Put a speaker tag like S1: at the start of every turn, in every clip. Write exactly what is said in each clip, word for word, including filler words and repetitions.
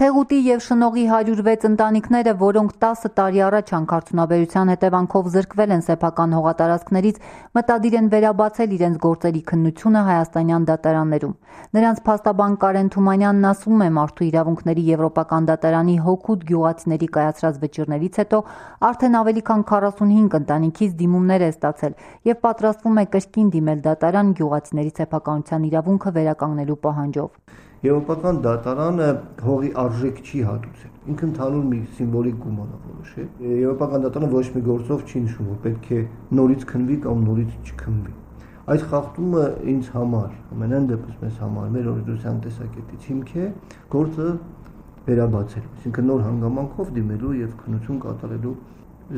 S1: Թեղուտի և շնողի հարյուր վեց ընտանիքները, որոնք տասը տարի առաջ հանքարդյունաբերության հետևանքով զրկվել են սեփական հողատարածքներից, մտադիր են վերաբացել իրենց գործերի քննությունը հայաստանյան դատարաններում։ Նրանց փաստաբան Կարեն Թումանյանն ասում է, մարդու իրավունքների եվրոպական դատարանի հօգուտ գյուղացիների կայացրած վճիռներից հետո արդեն ավելի քան քառասունհինգ ընտանիքից դիմումներ է ստացել և պատրաստվում է կրկին դիմել դատարան գյուղացիների սեփականության իրավունքը վերականգնելու պահանջով։
S2: Եվրոպական դատարանը հողի արժեք չի հատուցել, ինքը ընդհանուր մի սիմվոլիկ գումար է որոշել։ Եվրոպական դատարանը ոչ մի գործով չի նշում, որ պետք է նորից քննվի կամ նորից չքննվի։ Այդ խախտումը ինձ համար, ամենայն դեպս մեզ համար, մեր օրենսդրության տեսակետից հիմք է գործը վերաբացել, այսինքն նոր հանգամանքով դիմելու եւ քննություն կատարելու,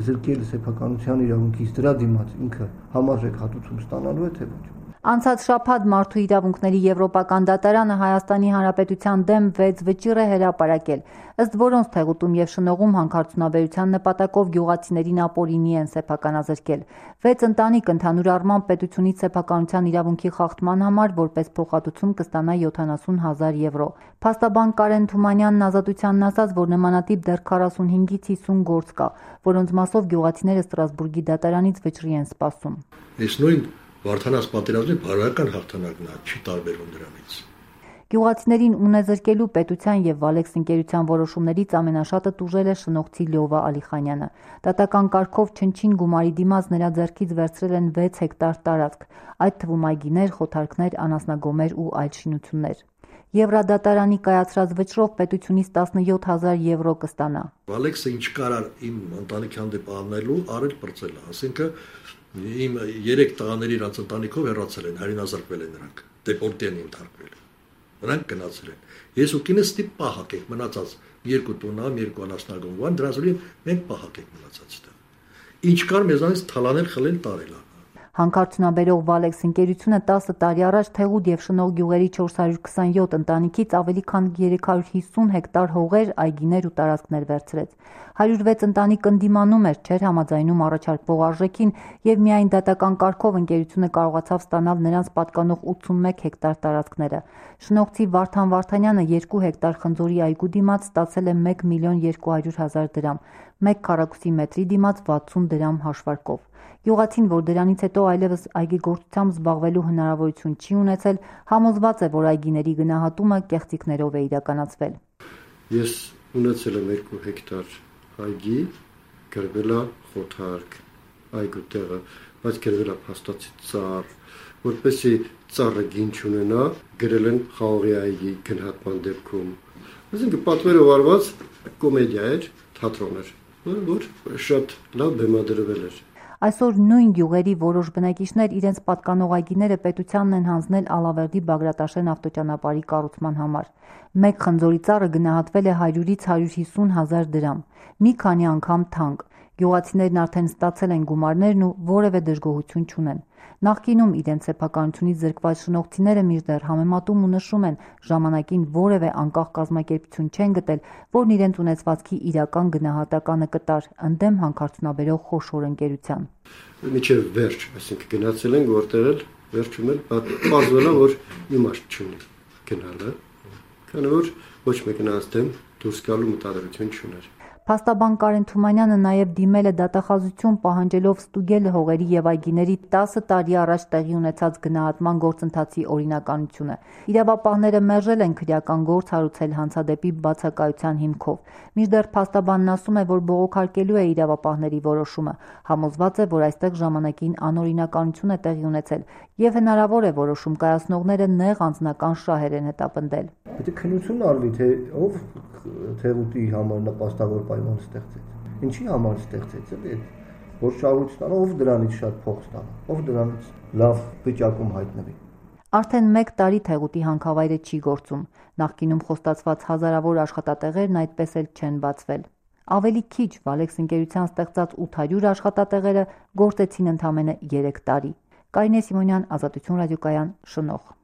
S2: զրկել սեփականության իրավունքից դրա դիմաց ինքը համարժեք հատուցում ստանալու է թե ոչ։
S1: Անցած շաբաթ Մարդու իրավունքների եվրոպական դատարանը Հայաստանի Հանրապետության դեմ վեց վճիռ է հրապարակել, ըստ որոնց Թեղուտում և Շնողում հանքարդյունաբերության նպատակով գյուղացիներին ապօրինի են սեփականազրկել։ Վեց ընտանիք ընդհանուր առմամբ պետությունից սեփականության իրավունքի խախտման համար որպես փոխհատուցում կստանա յոթանասուն հազար եվրո։ Փաստաբան Կարեն Թումանյանն Ազատությանն ասաց, որ նմանատիպ դեռ քառասունհինգից հիսուն գործ կա, որոնց մասով գյուղացիները Ստրասբուրգի դատարանից վճռի են սպասում։
S3: Այս նույն Վարդանաց պատերազմի բարոյական հաղթանակն է, չի տարբերվում դրանից։
S1: Գյուղացիներին ունեզրկելու պետության և Վալեքս ընկերության որոշումներից ամենաշատը տուժել է շնողցի Լյովա Ալիխանյանը։ Դատական կարգով չնչին գումարի դիմաց նրա ձեռքից վերցրել են վեց հեկտար տարածք, այդ թվում այգիներ, խոթարքներ, անասնագոմեր ու այլ շինություններ։ Եվրադատարանի կայացրած վճռով պետությունից տասնյոթ հազար եվրո կստանա։
S3: Վալեքսը ինչ կարար իմ ընտանիքի հանդեպ անելու, արել պրծել է, ասինքն իմ երեք տղաների իրանց ընտանիքով հեռացել են, հայրենազրկվել են նրանք, դեպորտի են ընդհարկվել, նրանք գնացել են։ Ես ու կինս ստիպ պահակ եք մնացած երկու տունամ, երկու անասնագոմ, դրանց վրա մենք պահակ եք մնացած դա։ Ինչ կար մեզանից թալանել, խլել, տարել։
S1: Հանքարդյունաբերող Վալեքս ընկերությունը տասը տարի առաջ Թեղուտ և Շնող գյուղերի չորս հարյուր քսանյոթ ընտանիքից ավելի քան երեք հարյուր հիսուն հեկտար հողեր, այգիներ ու տարածքներ վերցրեց։ հարյուր վեց ընտանիք ընդդիմանում էր, չէր համաձայնում առաջարկվող արժեքին և միայն դատական կարգով ընկերությունը կարողացավ ստանալ նրանց պատկանող ութսունմեկ հեկտար տարածքները։ Շնողցի Վարդան Վարդանյանը երկու հեկտար խնձորի այգու դիմաց ստացել է մեկ միլիոն երկու հարյուր հազար դրամ, մեկ քառակուսի մետրի դիմաց վաթսուն դրամ հաշվարկով։ Գյուղացին, որ դրանից հետո այլևս այգեգործությամբ զբաղվելու հնարավորություն չի ունեցել, համոզված է, որ այգիների գնահատումը կեղծիքներով է իրականացվել։
S4: Ես ունեցել եմ երկու հեկտար այգի, գրվել է խոթարք, այգու տեղը, բայց գրվել է փաստացի ծառ, որպեսզի ծառը գին չունենա, գրել են խաղողի այգի գնահատման դեպքում։ Այսինքն պատվերով արված կոմեդիա էր, թատրոն էր, որ շատ լավ բեմադրվել էր։
S1: Այսօր նույն գյուղերի որոշ բնակիչներ իրենց պատկանող այգիները պետությանն են հանձնել Ալավերդի Բագրատաշեն ավտոճանապարհի կառուցման համար։ Մեկ խնձորի ծառը գնահատվել է հարյուրից հարյուր հիսուն հազար դրամ, մի քանի անգամ թանկ։ Գյուղացիներն արդեն ստացել են գումարներն ու որևէ դժգոհություն չունեն։ Նախկինում իրենց սեփականությունից զրկված շնողցիները մինչդեռ համեմատում ու նշում են, ժամանակին որևէ անկախ կազմակերպություն չեն գտել, որն իրենց ունեցվածքի իրական գնահատականը կտար, ընդդեմ հանքարդյունաբերող խոշոր ընկերության։
S4: Մինչև վերջ, այսինքն գնացել ենք որտեղ էլ վերջում էլ պարզվել է, որ իմաստ չունի գնալը, քանի որ ոչ մեկն անց դեմ դուրս գալու մտադրություն չուներ։
S1: Փաստաբան Կարեն Թումանյանը նաև դիմել է դատախազություն պահանջելով ստուգել հողերի և այգիների տասը տարի առաջ տեղի ունեցած գնահատման գործընթացի օրինականությունը։ Իրավապահները մերժել են քրեական գործ հարուցել հանցադեպի բացակայության հիմքով։ Մինչդեռ փաստաբանն ասում է, որ բողոքարկելու է իրավապահների որոշումը, համոզված է, որ այստեղ ժամանակին անօրինականություն է տեղի ունեցել և հնարավոր է որոշում կայացնողները նեղ անձնական շահեր են հետապնդել։
S2: Պետք է քննություն արվի, թե ով Թեղուտի համար նպաստավոր պայման ստեղծեց։ Ինչի համար ստեղծեց, էլի, որ շահույթ ստանա, ով դրանից շատ փող ստանա, ով դրանից լավ վիճակում հայտնվի։
S1: Արդեն մեկ տարի Թեղուտի հանքավայրը չի գործում։ Նախկինում խոստացված հազարավոր աշխատատեղերն այդպես էլ չեն բացվել։ Ավելի քիչ Վալեքս ընկերության ստեղծած ութ հարյուր աշխատատեղերը գործեցին ընդամենը երեք տարի։ Կարինե Սիմոնյան, Ազատություն ռադիոկայան, Շնող։